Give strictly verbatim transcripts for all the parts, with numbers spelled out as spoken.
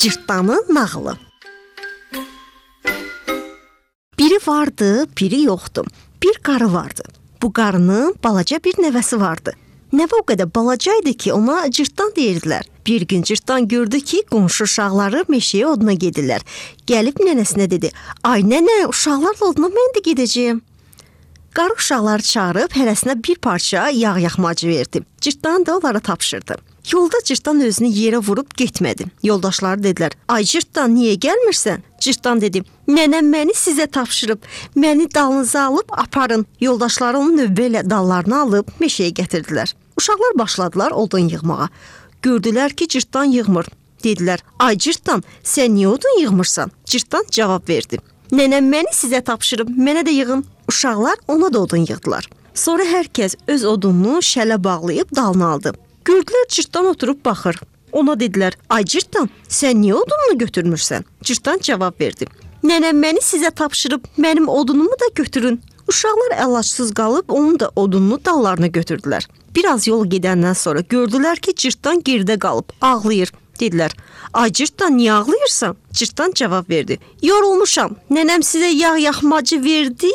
Cırtdanın nağılı. Biri vardı, biri yoxdu. Bir qarı vardı. Bu qarının balaca bir nəvəsi vardı. Nəvə o qədər balaca idi ki, ona cırtdan deyirdilər. Bir gün cırtdan gördü ki, qonşu uşaqları meşəyə oduna gedirlər. Gəlib nənəsinə dedi: "Ay nənə, uşaqlarla oduna mən də gedəcəyəm." Qarı uşaqları çağırıb hərəsinə bir parça yağ yaxmacı verdi. Cırtdan da onlara tapşırdı. Yolda cırtdan özünü yerə vurub getmədi. Yoldaşları dedilər: "Ay cırtdan, niyə gəlmirsən?" Cırtdan dedi: "Nənəm məni sizə tapşırıb, məni dalınıza alıb aparın." Yoldaşları onu növbə ilə dallarını alıb meşəyə gətirdilər. Uşaqlar başladılar odun yığmağa. Gördülər ki, cırtdan yığmır. Dedilər: "Ay cırtdan, sən niyə odun yığmırsan?" Cırtdan cavab verdi: "Nənəm məni sizə tapşırıb, mənə də yığın." Uşaqlar ona da odun yığdılar. Sonra hər kəs öz odununu şələ bağlayıb dalına aldı. Gördülər cırtdan oturub baxır. Ona dedilər: "Ay cırtdan, sən niyə odununu götürmürsən?" Cırtdan cavab verdi: "Nənəm məni sizə tapşırıb, mənim odunumu da götürün." Uşaqlar əlacsız qalıb onun da odununu dallarına götürdülər. Biraz yol gedəndən sonra gördülər ki, cırtdan geridə qalıb, ağlayır. Dedilər: "Ay cırtdan, niyə ağlayırsan?" Cırtdan cavab verdi: "Yorulmuşam. Nənəm sizə yağ yaxmacı verdi."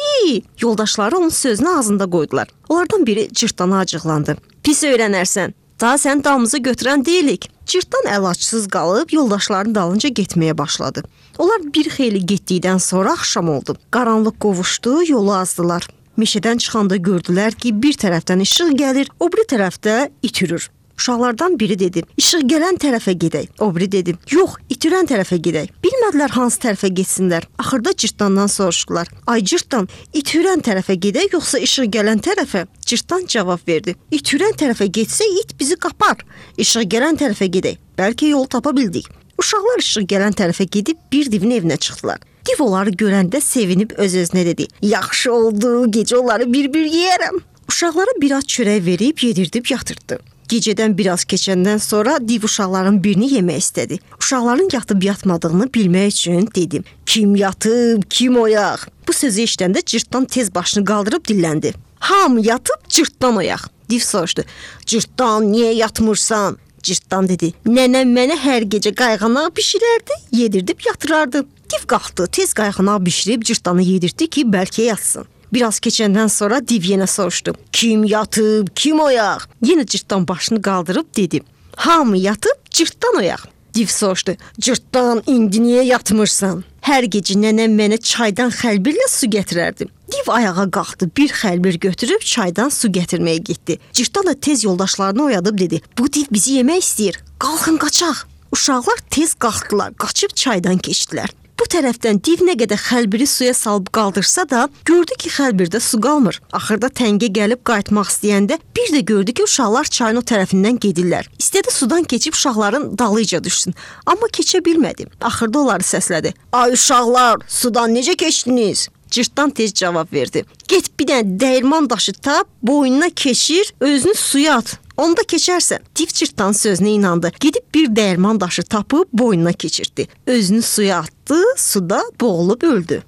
Yoldaşları onun sözünü ağzında qoydular. Onlardan biri cırtdana acıqlandı: "Pis öyrənərsən. Daha sən damımızı götürən deyilik." Cırtdan əlacsız qalıb yoldaşlarının dalınca getməyə başladı. Onlar bir xeyli getdikdən sonra axşam oldu. Qaranlıq qovuşdu, yolu azdılar. Meşədən çıxanda gördülər ki, bir tərəfdən işıq gəlir, o biri tərəfdə itirir. Uşaqlardan biri dedi: "İşıq gələn tərəfə gedək." O biri dedi: "Yox, itirən tərəfə gedək." Bilmədilər hansı tərəfə getsinlər. Axırda cırtdandan soruşdular: "Ay cırtdan, itirən tərəfə gedək yoxsa işıq gələn tərəfə?" Cırtdan cavab verdi: "İtirən tərəfə getsək it bizi qapar. İşıq gələn tərəfə gedək. Bəlkə yol tapa bildik." Uşaqlar işıq gələn tərəfə gedib bir divin evinə çıxdılar. Div onları görəndə sevinib öz-özünə dedi: "Yaxşı oldu, gecə onları bir-bir yeyərəm." Uşaqlara biraz çörək verib yedirdib yatırtdı. Gecədən biraz keçəndən sonra div uşaqların birini yemək istədi. Uşaqların yatıb yatmadığını bilmək üçün dedi: "Kim yatıb, kim oyaq?" Bu sözü eşidəndə cırtdan tez başını qaldırıb dilləndi: "Hamı yatıb, cırtdan oyaq." Div soruşdu: "Cırtdan, niyə yatmırsan?" Cırtdan dedi: "Nənəm mənə hər gecə qayğanaq bişirərdi, yedirdib yatırardı." Div qalxdı, tez qayğanaq bişirib cırtdanı yedirdi ki, bəlkə yatsın. Biraz keçəndən sonra div yenə soruşdu: "Kim yatıb, kim oyaq?" Yenə cırtdan başını qaldırıb dedi: "Hamı yatıb, cırtdan oyaq." Div soruşdu: "Cırtdan, indi niyə yatmırsan?" "Hər gecə nənəm mənə çaydan xəlbirlə su gətirərdi." Div ayağa qalxdı, bir xəlbir götürüb çaydan su gətirməyə getdi. Cırtdan da tez yoldaşlarını oyadıb dedi: "Bu div bizi yemək istəyir. Qalxın qaçaq." Uşaqlar tez qalxdılar, qaçıb çaydan keçdilər. Bu tərəfdən div nə qədər xəlbiri suya salıb qaldırsa da, gördü ki, xəlbirdə su qalmır. Axırda təngə gəlib qayıtmaq istəyəndə bir də gördü ki, uşaqlar çayın o tərəfindən gedirlər. İstədi sudan keçib uşaqların dalıyca düşsün, amma keçə bilmədi. Axırda onları səslədi: "Ay uşaqlar, sudan necə keçdiniz?" Cırtdan tez cavab verdi: "Get bir dənə dəyirman daşı tap, boynuna keçir, özünü suya at. Onda keçərsən." Div cırtdan sözünə inandı. Gedib bir dəyirman daşı tapıb boynuna keçirtdi. Özünü suya atdı, suda boğulub öldü.